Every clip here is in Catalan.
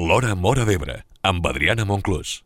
L'Hora Móra d'Ebre, amb Adriana Monclús.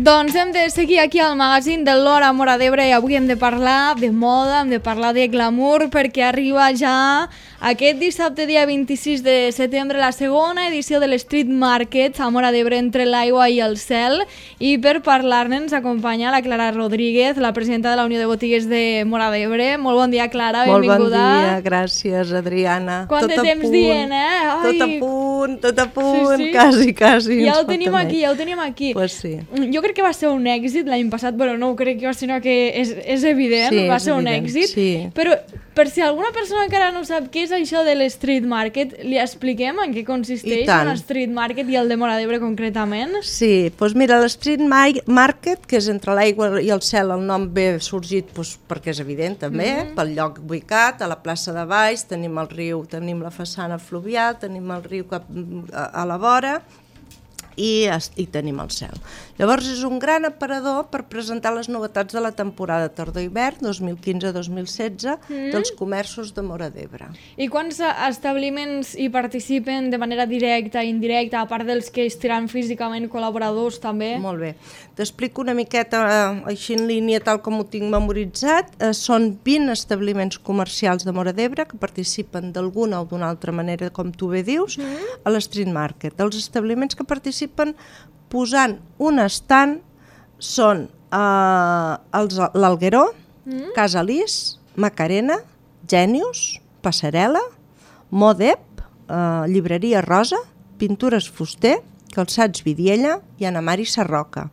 Doncs hem de seguir aquí al magazín de l'Hora Móra d'Ebre i avui hem de parlar de moda, hem de parlar de glamour perquè arriba ja aquest dissabte dia 26 de setembre la segona edició de l'Street Market a Móra d'Ebre entre l'aigua i el cel, i per parlar-ne ens acompanya la Clara Rodríguez, la presidenta de la Unió de Botigues de Móra d'Ebre. Molt bon dia, Clara, benvinguda. Molt bon dia, gràcies, Adriana. Quant de temps dient, eh? Ai. Tot a punt, sí. Quasi. Ja ho tenim aquí. Pues sí. Jo crec que va ser un èxit l'any passat, però no ho crec jo, sinó que és evident, sí, va ser un èxit. Sí. Però per si alguna persona encara no sap què és això de l'Street Market, li expliquem en què consisteix un Street Market i el de Móra d'Ebre concretament? Sí, doncs mira, l'Street Market, que és entre l'aigua i el cel, el nom ve sorgit perquè és evident també, pel lloc ubicat, a la plaça de Baix, tenim el riu, tenim la façana fluvial, tenim el riu a la vora, i tenim el cel. Llavors és un gran aparador per presentar les novetats de la temporada tardor-hivern 2015-2016 dels comerços de Móra d'Ebre. I quants establiments hi participen de manera directa i indirecta, a part dels que estiran físicament col·laboradors també? Molt bé. T'explico una miqueta així en línia tal com ho tinc memoritzat. Són 20 establiments comercials de Móra d'Ebre que participen d'alguna o d'una altra manera, com tu bé dius, a l'Street Market. Els establiments que participen posant un estand són l'Algueró, Casa Lis, Macarena, Genius, Passarel·la, Modep, Llibreria Rosa, Pintures Fuster, Calçats Vidiella i Ana Mari Sarroca.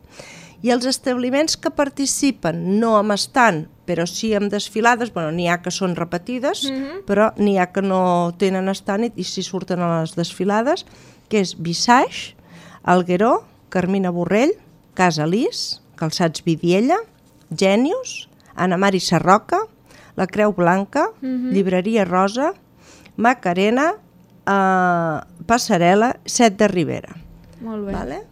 I els establiments que participen no amb estand, però sí amb desfilades, n'hi ha que són repetides, però n'hi ha que no tenen estand i s'hi surten a les desfilades, que és Visage, Algueró, Carmina Borrell, Casa Lis, Calçats Vidiella, Genius, Ana Mari Sarroca, La Creu Blanca, Llibreria Rosa, Macarena, Passarel·la, Set de Ribera. Molt bé. Vale?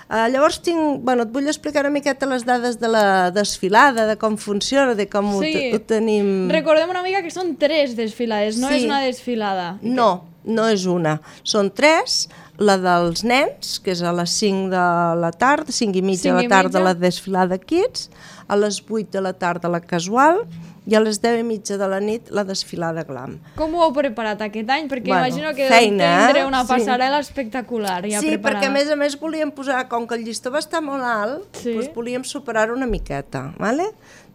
Llavors et vull explicar una miqueta les dades de la desfilada, de com funciona, de com ho tenim... Recordem una mica que són 3 desfilades, no és una desfilada. No és una, són 3, la dels nens, que és a les 5 de la tarda, 5 i mitja de la tarda la desfilada Kids, a les 8 de la tarda la casual i a les 10 i mitja de la nit la desfilada Glam. Com ho heu preparat aquest any? Perquè imagino que deu tindre una passarel·la espectacular ja preparada. Perquè a més volíem posar, com que el llistó va estar molt alt, volíem superar-ho una miqueta.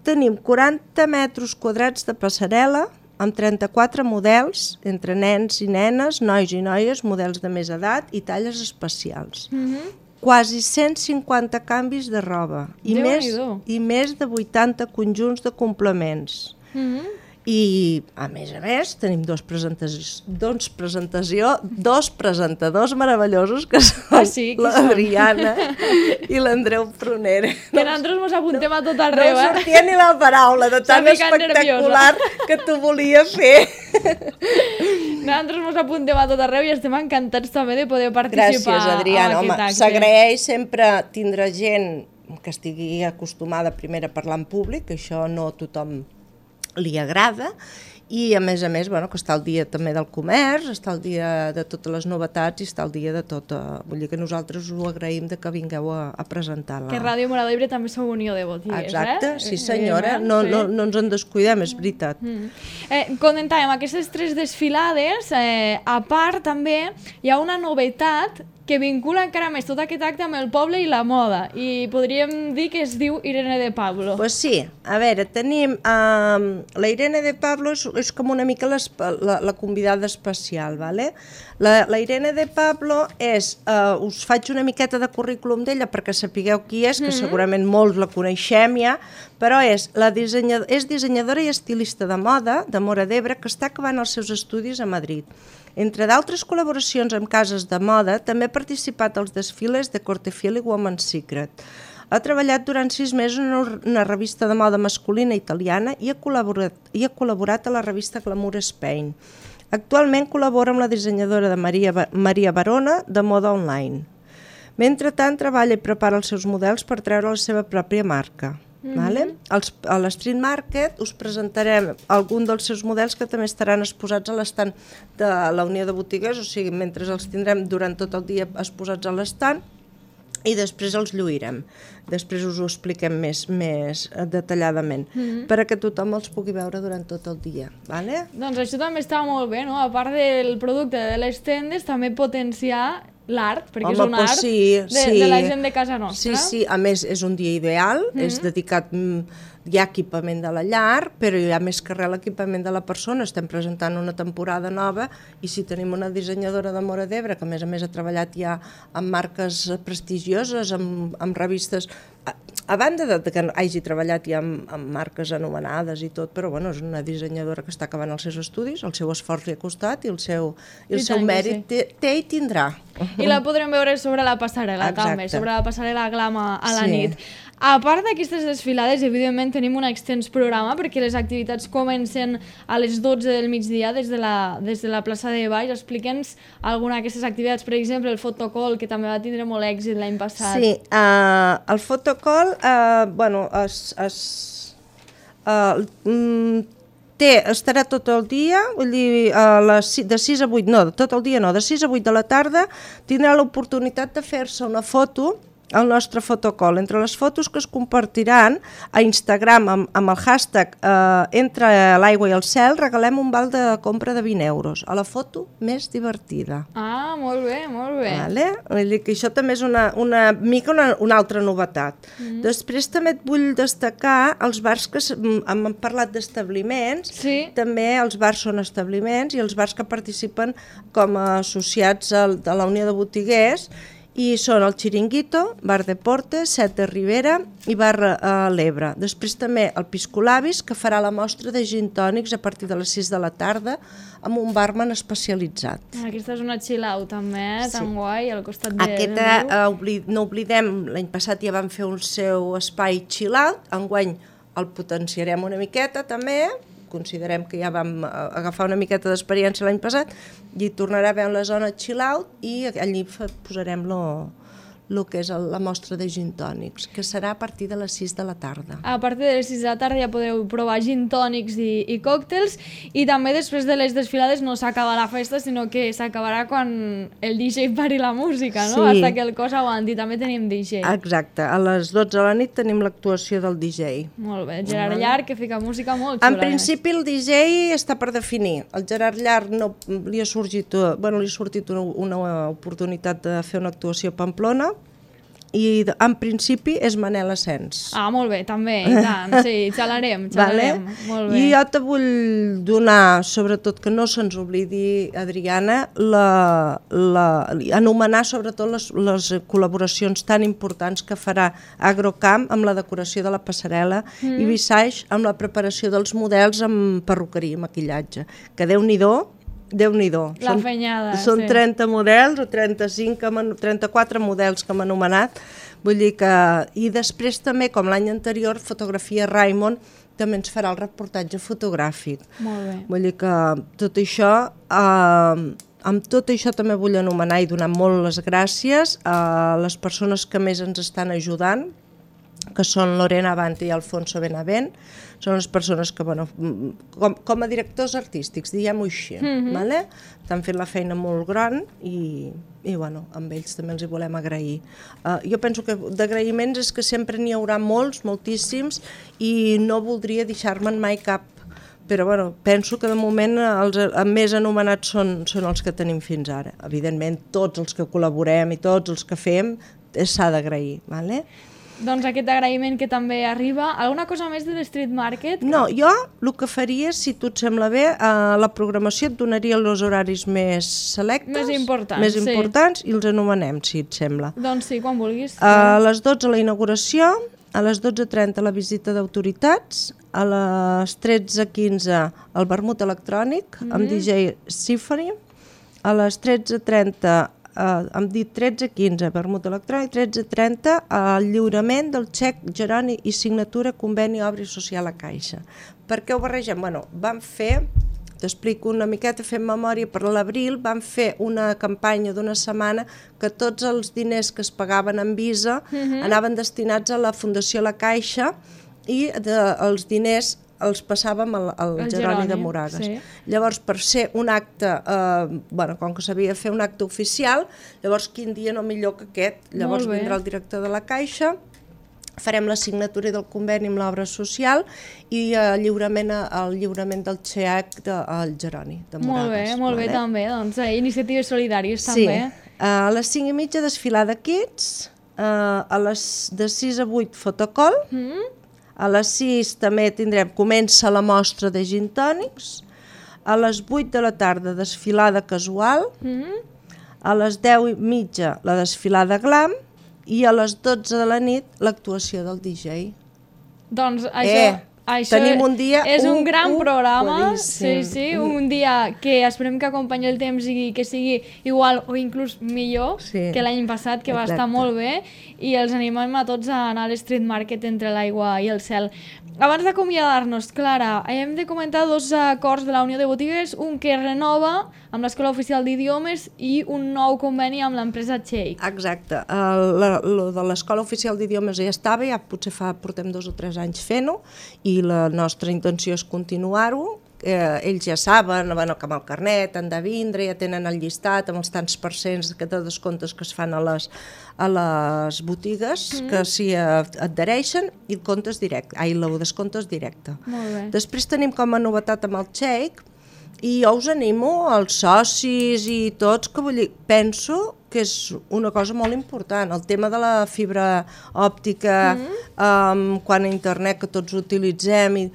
Tenim 40 metres quadrats de passarel·la, amb 34 models, entre nens i nenes, nois i noies, models de més edat i talles especials. Quasi 150 canvis de roba i més de 80 conjunts de complements. I, a més, tenim dos presentadors meravellosos que són l'Adriana i l'Andreu Prunera. Que nosaltres mos apuntem a tot arreu, No sortia ni la paraula de tan espectacular que t'ho volia fer. Nosaltres mos apuntem a tot arreu i estem encantats també de poder participar. Gràcies, Adriana. Home, s'agraeix sempre tindre gent que estigui acostumada primer a parlar en públic, que això no a tothom li agrada, i a més, que està al dia també del comerç, està al dia de totes les novetats i està al dia de tot. Vull dir que nosaltres us ho agraïm de que vingueu a presentar-la. Que Ràdio Móra d'Ebre també sou Unió de Botigues, Exacte, sí senyora, no ens en descuidem, és veritat. Comentàvem, aquestes 3 desfilades, a part també hi ha una novetat que vincula encara més tot aquest acte amb el poble i la moda, i podríem dir que es diu Irene de Pablo. Pues sí, a veure, tenim la Irene de Pablo, és com una mica la convidada especial, ¿vale? La Irene de Pablo és, us faig una miqueta de currículum d'ella perquè sapigueu qui és, que segurament molts la coneixem ja, però és dissenyadora i estilista de moda de Móra d'Ebre que està acabant els seus estudis a Madrid. Entre d'altres col·laboracions amb cases de moda, també ha participat als desfiles de Cortefiel i Woman's Secret. Ha treballat durant 6 mesos en una revista de moda masculina italiana i ha col·laborat a la revista Glamour Spain. Actualment col·labora amb la dissenyadora de Maria Barona de moda online. Mentrestant, treballa i prepara els seus models per treure la seva pròpia marca. Vale? A l'Street Market us presentarem algun dels seus models que també estaran exposats a l'estant de la Unió de Botiguers, o sigui, mentre els tindrem durant tot el dia exposats a l'estant, i després els lluirem. Després us ho expliquem més detalladament, perquè tothom els pugui veure durant tot el dia. Vale? Doncs això també està molt bé, no? A part del producte de les tendes, també potenciar l'art, perquè és un art de la gent de casa nostra. Sí, a més és un dia ideal, és dedicat, hi ha equipament de la llar, però hi ha més que res l'equipament de la persona. Estem presentant una temporada nova i si tenim una dissenyadora de Móra d'Ebre, que a més ha treballat ja amb marques prestigioses, amb revistes, a banda que hagi treballat ja amb marques anomenades i tot, però bueno, és una dissenyadora que està acabant els seus estudis, el seu esforç li ha costat i el seu mèrit té i tindrà. I la podrem veure sobre la passarel·la també, sobre la passarel·la Glama a la nit. A part d'aquestes desfilades, evidentment tenim un extens programa perquè les activitats comencen a les 12 del migdia des de la plaça de Baix. Explica'ns alguna d'aquestes activitats, per exemple el fotocall, que també va tindre molt èxit l'any passat. Sí, el fotocall, estarà tot el dia, vull dir, de 6 a 8, no, tot el dia no, de 6 a 8 de la tarda tindrà l'oportunitat de fer-se una foto al nostre fotocall. Entre les fotos que es compartiran a Instagram amb el hashtag Entre l'aigua i el cel, regalem un val de compra de 20 euros a la foto més divertida. Ah, molt bé, molt bé. Vale? Vull dir que això també és una altra novetat. Després també et vull destacar els bars que hem parlat d'establiments, també els bars són establiments i els bars que participen com a associats a la Unió de Botiguers, i són el Chiringuito, Bar de Portes, Set de Ribera i Bar l'Ebre. Després també el Piscolabis, que farà la mostra de gin tònics a partir de les 6 de la tarda amb un barman especialitzat. Aquesta és una chill-out també, tan guai, al costat de... Aquesta, no oblidem, l'any passat ja van fer un seu espai chill-out, enguany el potenciarem una miqueta també, considerem que ja vam agafar una miqueta d'experiència l'any passat i tornarà a haver la zona chill-out i allí posarem el que és la mostra de gin tònics, que serà a partir de les 6 de la tarda. A partir de les 6 de la tarda ja podeu provar gin tònics i còctels, i també després de les desfilades no s'acaba la festa, sinó que s'acabarà quan el DJ pari la música, no? Sí. Hasta que el cos aguanti. També tenim DJ. Exacte. A les 12 de la nit tenim l'actuació del DJ. Molt bé. Gerard Llarg, que fica música molt xula. En principi el DJ està per definir. El Gerard Llarg li ha sortit una oportunitat de fer una actuació a Pamplona, i en principi és Manel Asens. Ah, molt bé, també, i tant, sí, xalarem, molt bé. I jo te vull donar, sobretot que no se'ns oblidi, Adriana, anomenar sobretot les col·laboracions tan importants que farà Agrocamp amb la decoració de la passarel·la i Visage amb la preparació dels models amb perruqueria i maquillatge, que Déu-n'hi-do. La fenyada, són 30 models o 34 models que hem anomenat. Vull dir que... I després també, com l'any anterior, Fotografia Raimon també ens farà el reportatge fotogràfic. Molt bé. Vull dir que tot això... Amb tot això també vull anomenar i donar molt les gràcies a les persones que més ens estan ajudant, que són Lorena Abante i Alfonso Benavent. Són les persones que, bueno, com a directors artístics, diguem-ho així, vale? Estan fent la feina molt gran i bueno, amb ells també els hi volem agrair. Jo penso que d'agraïments és que sempre n'hi haurà moltíssims, i no voldria deixar-me'n mai cap. Però bueno, penso que de moment els més anomenats són els que tenim fins ara. Evidentment, tots els que col·laborem i tots els que fem s'ha d'agrair, vale? Doncs aquest agraïment que també arriba. Alguna cosa més de l'Street Market? No, jo el que faria, si tu et sembla bé, la programació et donaria els horaris més selectes, més importants, i els anomenem, si et sembla. Doncs sí, quan vulguis. A les 12 la inauguració, a les 12:30 la visita d'autoritats, a les 13:15 el vermut electrònic amb DJ Symphony, a les 13:30 hem dit 13:15 vermut electrònic, 13:30 el lliurament del xec Geroni i signatura conveni obra social a Caixa. Per què ho barregem? Bueno, vam fer t'explico una miqueta, fent memòria, per l'abril vam fer una campanya d'una setmana que tots els diners que es pagaven en Visa anaven destinats a la Fundació La Caixa i els diners els passàvem al Jeroni de Moragas. Sí. Llavors, per ser un acte, com que s'havia de fer un acte oficial, llavors quin dia no millor que aquest. Llavors vindrà el director de la Caixa, farem la signatura del conveni amb l'obra social i el lliurament del xec al Jeroni de Moragas. Molt bé, també. Doncs, iniciatives solidàries també. Sí. A les 5:30 desfilada Kids, de 6 a 8 fotocol, a les 6 també comença la mostra de gin tònics, a les 8 de la tarda desfilada casual, a les 10:30 la desfilada glam i a les 12 de la nit l'actuació del DJ. Doncs això tenim un dia és un gran programa, boníssim. Un dia que esperem que acompanyi el temps i que sigui igual o inclús millor que l'any passat, que va estar molt bé, i els animem a tots a anar a l'Street Market entre l'aigua i el cel. Abans d'acomiadar-nos, Clara, hem de comentar 2 acords de la Unió de Botigues, un que renova amb l'Escola Oficial d'Idiomes i un nou conveni amb l'empresa Cheik. Exacte. Lo de l'Escola Oficial d'Idiomes ja estava, ja potser portem 2 o 3 anys fent-ho, i la nostra intenció és continuar-ho. Ells ja saben que amb el carnet han de vindre, ja tenen el llistat amb els tants % de descomptes que es fan a les botigues que s'hi adhereixen, i el descompte és directe. Després tenim com a novetat amb el Cheik, i jo us animo als socis i tots, que penso que és una cosa molt important, el tema de la fibra òptica, quan a internet, que tots utilitzem,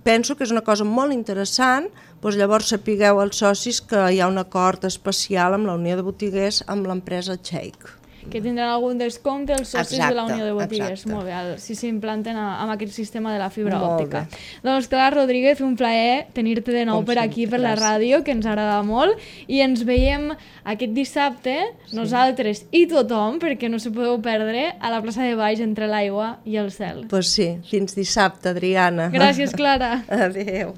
penso que és una cosa molt interessant. Llavors sapigueu els socis que hi ha un acord especial amb la Unió de Botiguers, amb l'empresa Cheik. Que tindran algun descompte els socis de la Unió de Botigues. Molt bé, si s'implanten amb aquest sistema de la fibra òptica. Doncs Clara Rodríguez, un plaer tenir-te de nou per aquí, per la ràdio, que ens agrada molt, i ens veiem aquest dissabte, nosaltres i tothom, perquè no s'ho podeu perdre, a la plaça de Baix, entre l'aigua i el cel. Doncs sí, fins dissabte, Adriana. Gràcies, Clara. Adéu.